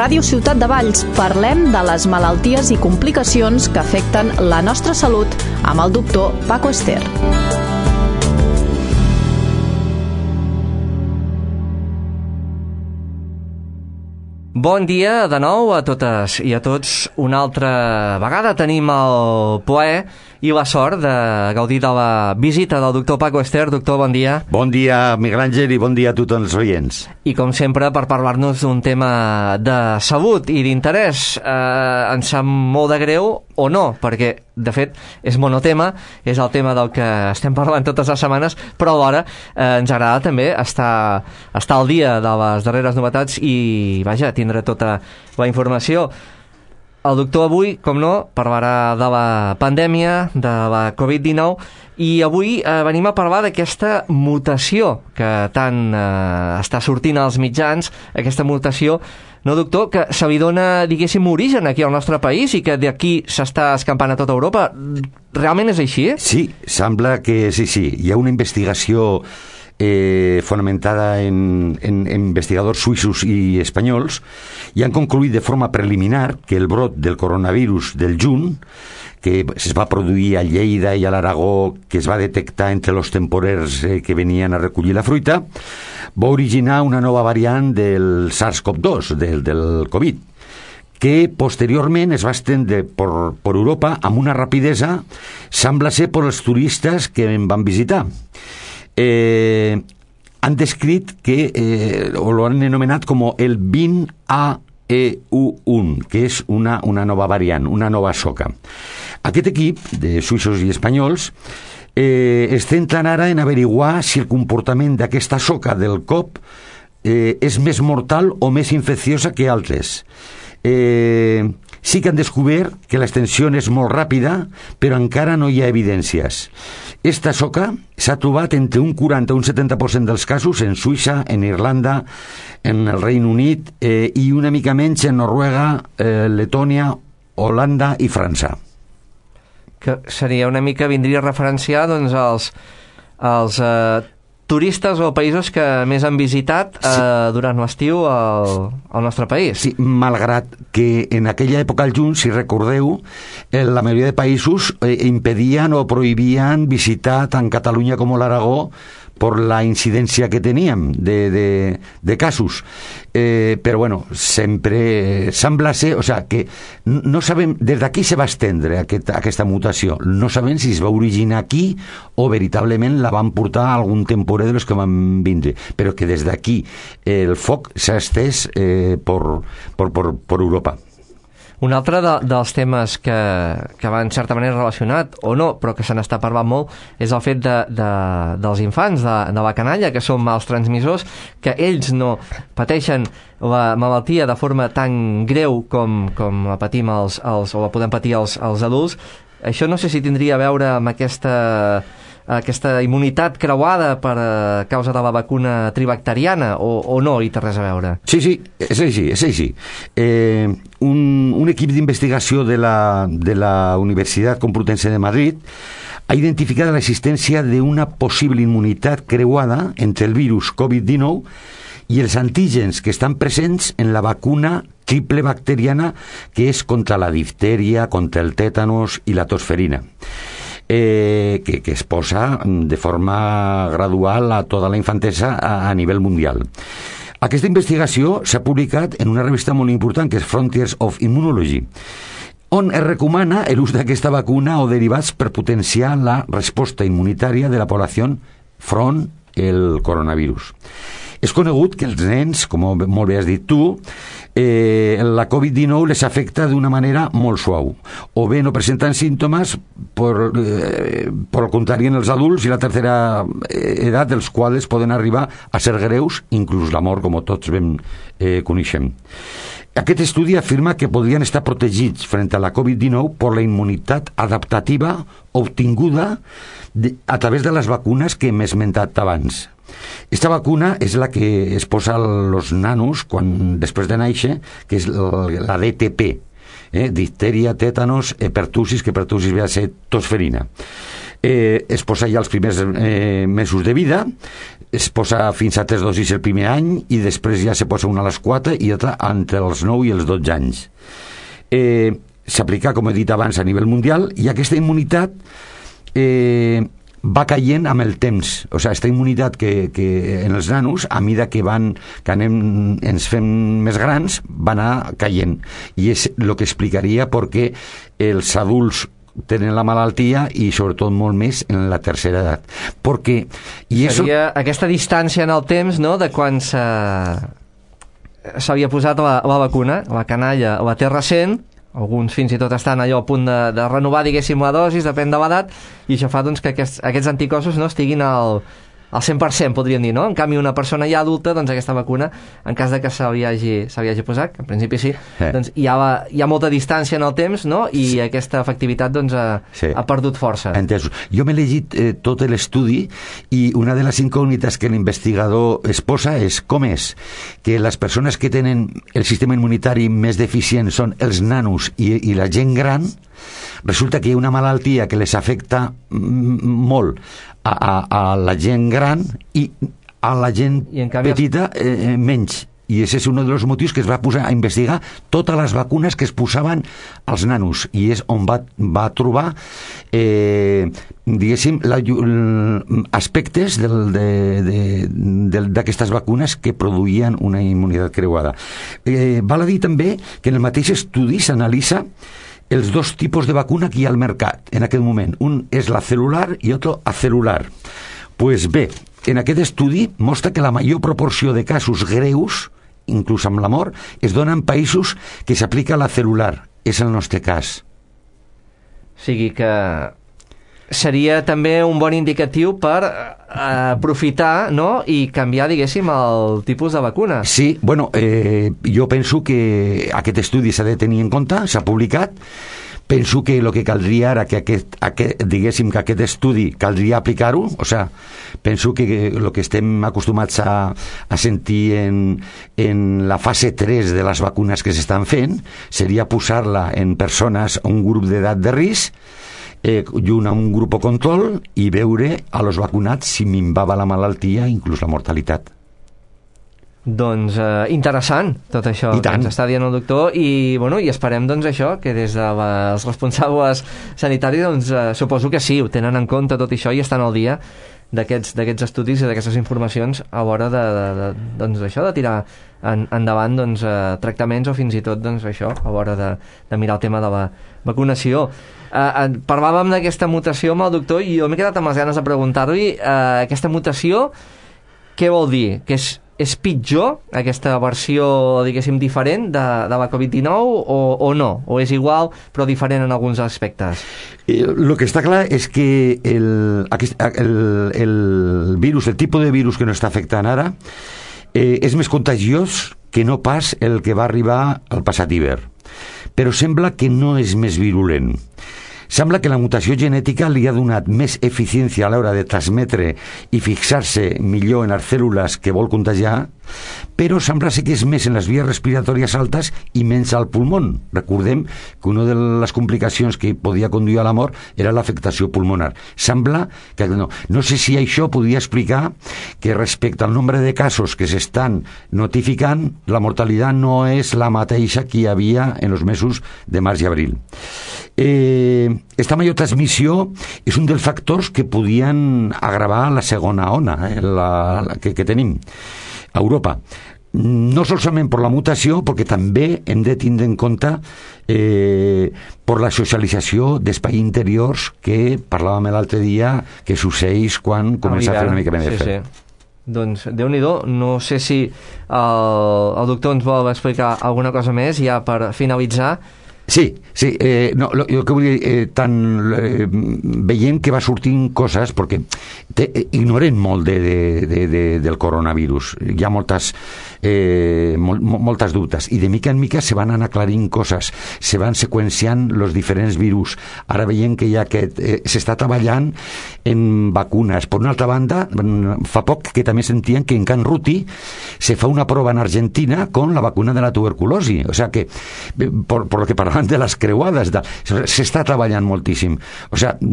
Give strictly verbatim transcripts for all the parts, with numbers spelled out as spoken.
Ràdio Ciutat de Valls parlem de les malalties i complicacions que afecten la nostra salut amb el doctor Paco Ester. Bon dia de nou a totes i a tots. Una altra vegada tenim el plaer i la sort de gaudir de la visita del doctor Paco Ester. Doctor, bon dia. Bon dia, Miguel Àngel, i bon dia a tots els oients. I com sempre, per parlar-nos d'un tema de salut i d'interès, eh, ens sap molt de greu, o no, perquè, de fet, és monotema, és el tema del que estem parlant totes les setmanes, però alhora eh, ens agrada també estar, estar al dia de les darreres novetats i, vaja, tindre tota la informació. El doctor avui, com no, parlarà de la pandèmia, de la covid dinou, i avui eh, venim a parlar d'aquesta mutació que tant eh, està sortint als mitjans, aquesta mutació, no, doctor, que se li dona, diguéssim, origen aquí al nostre país i que d'aquí s'està escampant a tota Europa. Realment és així? Sí, sembla que sí, sí. Hi ha una investigació Eh, fonamentada en, en, en investigadors suïssos i espanyols, i han concluït de forma preliminar que el brot del coronavirus del juny, que es va produir a Lleida i a l'Aragó, que es va detectar entre els temporers eh, que venien a recollir la fruita, va originar una nova variant del SARS-CoV dos, del, del Covid, que posteriorment es va estendre per, per Europa amb una rapidesa, sembla ser per els turistes que en van visitar. Eh, han descrit que, eh, o lo han anomenat com el vint A E U u, que és una, una nova variant, una nova soca. Aquest equip de suïssos i espanyols eh, es centren ara en averiguar si el comportament d'aquesta soca del cop eh, és més mortal o més infecciosa que altres. Eh, sí que han descobert que l'extensió és molt ràpida, però encara no hi ha evidències. Esta soca s'ha trobat entre un quaranta i un setanta per cent dels casos en Suïssa, en Irlanda, en el Regne Unit eh, i una mica menys en Noruega, eh, Letònia, Holanda i França. Que seria una mica, vindria a referenciar doncs els, els eh, turistes o països que més han visitat eh, sí. durant l'estiu al, al nostre país. Sí, malgrat que en aquella època al juny, si recordeu, eh, la majoria de països eh, impedien o prohibien visitar tant Catalunya com l'Aragó per la incidència que teníem de, de, de casos. Eh, però bueno, sempre sembla ser, o sea, que no sabem, des d'aquí se va estendre aquest, aquesta mutació, no sabem si es va originar aquí o veritablement la van portar a algun temporer de los que van vindre, però que des d'aquí eh, el foc s'ha estès eh, per, per, per, per Europa. Un altre de, dels temes que, que va en certa manera relacionat, o no, però que se n'està parlant molt, és el fet de, de, dels infants, de, de la canalla, que són mals transmissors, que ells no pateixen la malaltia de forma tan greu com, com la patim els, els, o la podem patir els, els adults. Això no sé si tindria a veure amb aquesta... aquesta immunitat creuada per a causa de la vacuna tribacteriana o, o no hi té res a veure? Sí, sí, és així, és així. Eh, un, un equip d'investigació de la, de la Universitat Complutense de Madrid ha identificat l'existència d'una possible immunitat creuada entre el virus covid dinou i els antígens que estan presents en la vacuna triple bacteriana que és contra la diftèria, contra el tètanos i la tosferina. Eh, que, que es posa de forma gradual a tota la infantesa a, a nivell mundial. Aquesta investigació s'ha publicat en una revista molt important que és Frontiers of Immunology, on es recomana l'ús d'aquesta vacuna o derivats per potenciar la resposta immunitària de la població front al coronavirus. És conegut que els nens, com molt bé has dit tu, eh, la covid dinou les afecta d'una manera molt suau. O bé no presenten símptomes, per, eh, per el contrari en els adults i la tercera edat, dels quals poden arribar a ser greus, inclús la mort, com tots ben eh, coneixem. Aquest estudi afirma que podrien estar protegits frente a la covid dinou per la immunitat adaptativa obtinguda de, a través de les vacunes que hem esmentat abans. Esta vacuna és la que es posa als nanos quan, després de néixer, que és la D T P, eh? Difteria, tètanos, pertussis, que pertussis ve a ser tosferina. eh, es posa ja els primers eh, mesos de vida, es posa fins a tres dosis el primer any i després ja se posa una a les quatre i altra entre els nou i els dotze anys. Eh, s'aplica, com he dit abans, a nivell mundial, i aquesta immunitat eh, va caient amb el temps. O sigui, aquesta immunitat que, que en els nanos, a mida que van que anem, ens fem més grans, va anar caient. I és el que explicaria per què els adults tenen la malaltia i sobretot molt més en la tercera edat. Perquè... I Seria eso... aquesta distància en el temps, no?, de quan s'havia posat la, la vacuna, la canalla la té recent, alguns fins i tot estan allò a punt de, de renovar, diguéssim, la dosis, depèn de l'edat, i això fa doncs, que aquests, aquests anticossos no estiguin al, al cent per cent, podríem dir, no? En canvi, una persona ja adulta, doncs aquesta vacuna, en cas de que se li hagi, se li hagi posat, que en principi sí, eh. doncs hi ha, la, hi ha molta distància en el temps, no? I sí. aquesta efectivitat doncs, ha, sí. ha perdut força. Entesos. Jo m'he llegit eh, tot l'estudi i una de les incògnites que l'investigador es posa és com és que les persones que tenen el sistema immunitari més deficient són els nanos i, i la gent gran. Resulta que hi ha una malaltia que les afecta molt a, a, a la gent gran i a la gent canvi... petita eh, menys. I aquest és un dels motius que es va posar a investigar totes les vacunes que es posaven als nanos, i és on va, va trobar eh, diguéssim la, aspectes del, de, de, de, d'aquestes vacunes que produïen una immunitat creuada. Eh, val a dir també que en el mateix estudi s'analitza els dos tipus de vacuna que hi ha al mercat en aquest moment. Un és la celular i otro acelular. Pues bé, en aquest estudi mostra que la major proporció de casos greus, inclús amb la mort, es dona en països que s'aplica la celular. És el nostre cas. O sigui que seria també un bon indicatiu per eh, aprofitar, no?, i canviar, diguéssim, el tipus de vacuna. Sí, bueno, eh, jo penso que aquest estudi s'ha de tenir en compte, s'ha publicat. Penso que el que caldria ara, que aquest, aquest, diguéssim que aquest estudi caldria aplicar-ho, o sea, penso que el que estem acostumats a, a sentir en, en la fase tres de les vacunes que s'estan fent, seria posar-la en persones, un grup d'edat de risc, eh, i un, un grup control, i veure a los vacunats si minvava la malaltia, inclús la mortalitat. Doncs eh, interessant tot això que ens està dient el doctor, i, bueno, i esperem doncs això, que des dels responsables sanitaris doncs, eh, suposo que sí, ho tenen en compte tot això i estan al dia d'aquests, d'aquests estudis i d'aquestes informacions a l'hora de, de, de, doncs, això, de tirar en, endavant doncs, eh, tractaments o fins i tot doncs, això, a l'hora de, de mirar el tema de la vacunació. Eh, eh, parlàvem d'aquesta mutació amb el doctor i jo m'he quedat amb les ganes de preguntar-li eh, aquesta mutació, què vol dir? Que és És pitjor aquesta versió, diguéssim, diferent de, de la covid dinou o, o no? O és igual però diferent en alguns aspectes? Eh, lo que està clar és que el, aquest, el, el virus, el tipus de virus que nos està afectant ara eh, és més contagiós que no pas el que va arribar al passat hivern. Però sembla que no és més virulent. Sembla que la mutació genètica li ha donat més eficiència a l'hora de transmetre i fixar-se millor en les cèl·lules que vol contagiar, però sembla ser que és més en les vies respiratòries altes i menys al pulmó. Recordem que una de les complicacions que podia conduir a la mort era l'afectació pulmonar. Sembla que no. No sé si això podria explicar que respecte al nombre de casos que s'estan notificant, la mortalitat no és la mateixa que hi havia en els mesos de març i abril. Eh, esta major transmissió és un dels factors que podien agravar la segona ona eh, la, la, que, que tenim a Europa. No solament per la mutació, perquè també hem de tindre en compte eh, per la socialització d'espais interiors que parlàvem l'altre dia que succeeix quan comença a fer una mica més de sí, fred. Sí. Doncs, Déu-n'hi-do, no sé si el, el doctor ens vol explicar alguna cosa més ja per finalitzar. Sí, sí, eh, no, lo, lo que vull dir, eh, tan, eh, veient que va sortint coses, perquè te, eh, ignorem molt de, de, de, de, del coronavirus, hi ha moltes, eh, mol, moltes dubtes, i de mica en mica se van anar aclarint coses, se van seqüenciant els diferents virus. Ara veiem que ja que eh, s'està treballant en vacunes. Per una altra banda, fa poc que també sentien que en Can Ruti se fa una prova en Argentina con la vacuna de la tuberculosi, o sea que, por, por lo que parlàvem parlant de les creuades, de, s'està treballant moltíssim. O sigui,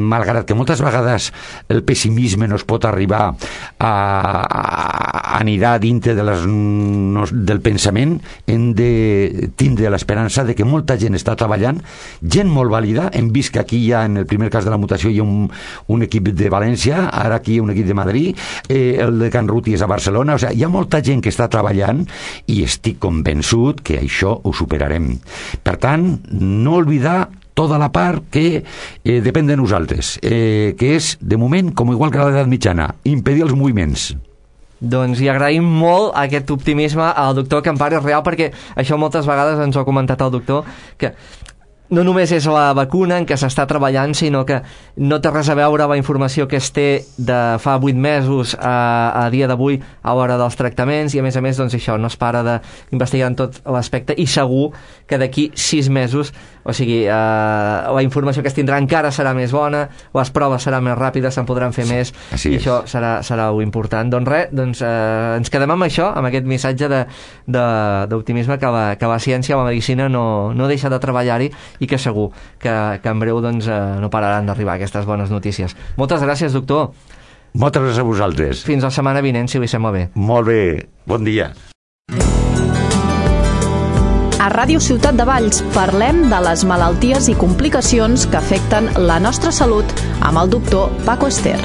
malgrat que moltes vegades el pessimisme no es pot arribar a, a anirà dintre de les, no, del pensament, hem de tindre l'esperança de que molta gent està treballant, gent molt vàlida. Hem vist que aquí hi ha, en el primer cas de la mutació, hi ha un, un equip de València, ara aquí hi ha un equip de Madrid, eh, el de Can Ruti és a Barcelona. O sigui, hi ha molta gent que està treballant i estic convençut que això ho superarem. Per tant, no oblidar tota la part que eh, depèn de nosaltres, eh, que és, de moment, com igual que a l'edat mitjana, impedir els moviments. Doncs hi agraïm molt aquest optimisme al doctor Campares Real, perquè això moltes vegades ens ho ha comentat el doctor, que no només és la vacuna en què s'està treballant, sinó que no té res a veure la informació que es té de fa vuit mesos a, a dia d'avui a l'hora dels tractaments, i a més a més doncs això, no es para d'investigar en tot l'aspecte, i segur que d'aquí sis mesos, o sigui, eh, la informació que es tindrà encara serà més bona, les proves seran més ràpides, se'n podran fer sí, més, i és. Això serà, serà important. Doncs res, doncs, eh, ens quedem amb això, amb aquest missatge d'optimisme que, la, que la ciència, la medicina no, no deixa de treballar-hi, i que segur que, que en breu doncs, eh, no pararan d'arribar aquestes bones notícies. Moltes gràcies, doctor. Moltes gràcies a vosaltres. Fins la setmana vinent, si li sembla bé. Molt bé, bon dia. A Ràdio Ciutat de Valls parlem de les malalties i complicacions que afecten la nostra salut amb el doctor Paco Ester.